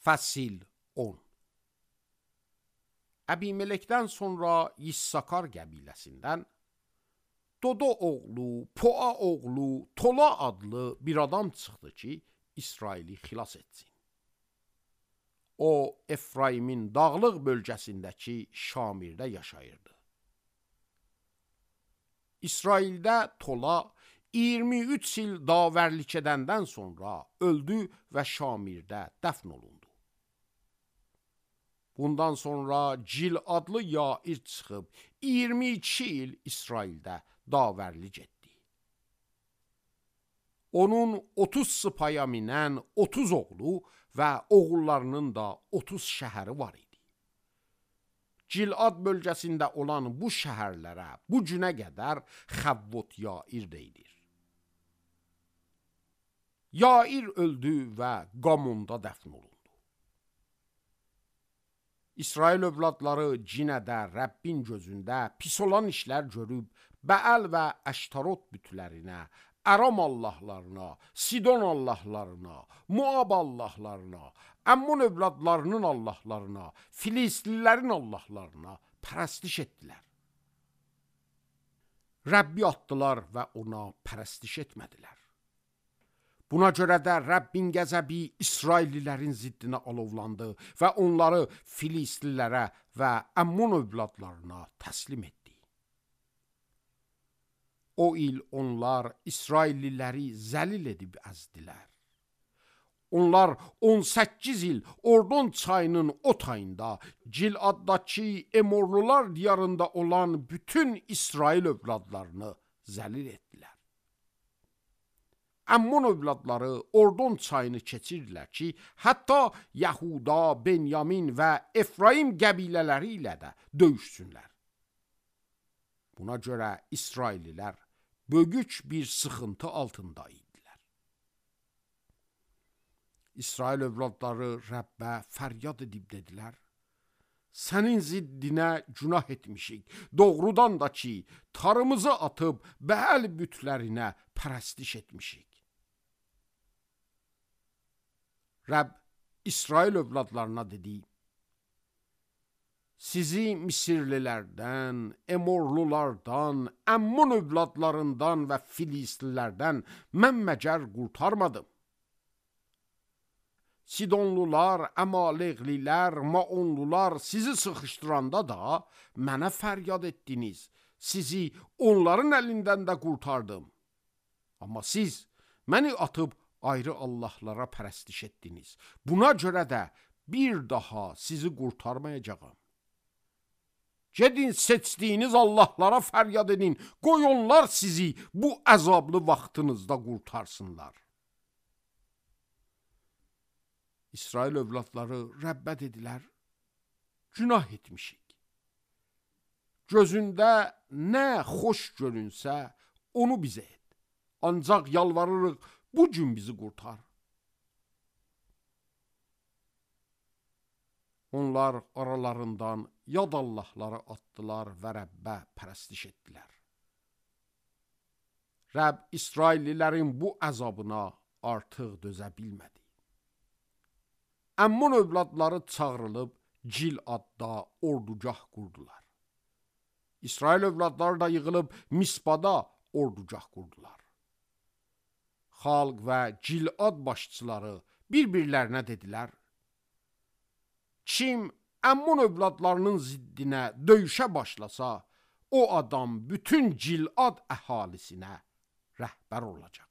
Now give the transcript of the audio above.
Fəsil 10. Əbimelekdən sonra Yissakar qəbiləsindən Dodo oğlu, Poa oğlu, Tola adlı bir adam çıxdı ki, İsraili xilas etsin. O, Efraimin dağlıq bölgəsindəki Şamirdə yaşayırdı. İsraildə Tola 23 il davərlik edəndən sonra öldü və Şamirdə dəfn olundu. Bundan sonra Cil adlı Yair çıxıb 22 il İsraildə davərlik etdi. Onun 30 sıpaya minən 30 oğlu və oğullarının da 30 şəhəri var idi. Cilad bölgəsində olan bu şəhərlərə bu günə qədər Xəvvot Yair deyilir. Yair öldü və Qamonda dəfn olundu. İsrail övladları cinədə, Rəbbin gözündə pis olan işlər görüb, Bəəl və Əştarot bütlərinə, Əram allahlarına, Sidon allahlarına, Moab allahlarına, Əmmun övladlarının allahlarına, Filistlilərin allahlarına pərəstiş etdilər. Rəbbi atdılar və ona pərəstiş etmədilər. Buna görə də Rəbbin qəzəbi İsraillilərin ziddinə alovlandı və onları Filistlilərə və Əmmun övladlarına təslim etdi. O il onlar İsrailliləri zəlil edib əzdilər. Onlar 18 il Ordon çayının o tayında, Ciladdakı Emorlular diyarında olan bütün İsrail övladlarını zəlil etdilər. Əmmun övladları Ordon çayını keçirdilər ki, hətta Yahuda, Benyamin və Efraim qəbilələri ilə də döyüşsünlər. Buna görə İsraillilər böyük bir sıxıntı altında idilər. İsrail övladları Rəbbə fəryad edib dedilər: Sənin ziddinə günah etmişik, doğrudan da ki, tarımızı atıb Bəəl bütlərinə pərəstiş etmişik. Rəbb İsrail övladlarına dedi: Sizi Misirlilərdən, Emorlulardan, Əmmun övladlarından və Filistlilərdən mən məgər qurtarmadım. Sidonlular, Əmaleqlilər, Maonlular sizi sıxışdıranda da mənə fəryad etdiniz. Sizi onların əlindən də qurtardım. Amma siz məni atıb ayrı allahlara pərəstiş etdiniz. Buna görə də bir daha sizi qurtarmayacağam. Gedin seçdiyiniz allahlara fəryad edin. Qoy onlar sizi bu əzablı vaxtınızda qurtarsınlar. İsrail övladları Rəbbə dedilər: Günah etmişik. Gözündə nə xoş görünsə, onu bizə et. Ancaq yalvarırıq, bu gün bizi qurtar. Onlar aralarından yad allahları atdılar və Rəbbə pərəstiş etdilər. Rəbb İsraillilərin bu əzabına artıq dözə bilmədi. Əmmun övladları çağırılıb Ciladda ordugah qurdular. İsrail övladları da yığılıb Mispada ordugah qurdular. Xalq və Cilad başçıları bir-birlərinə dedilər: Kim Əmmun övladlarının ziddinə döyüşə başlasa, o adam bütün Cilad əhalisinə rəhbər olacaq.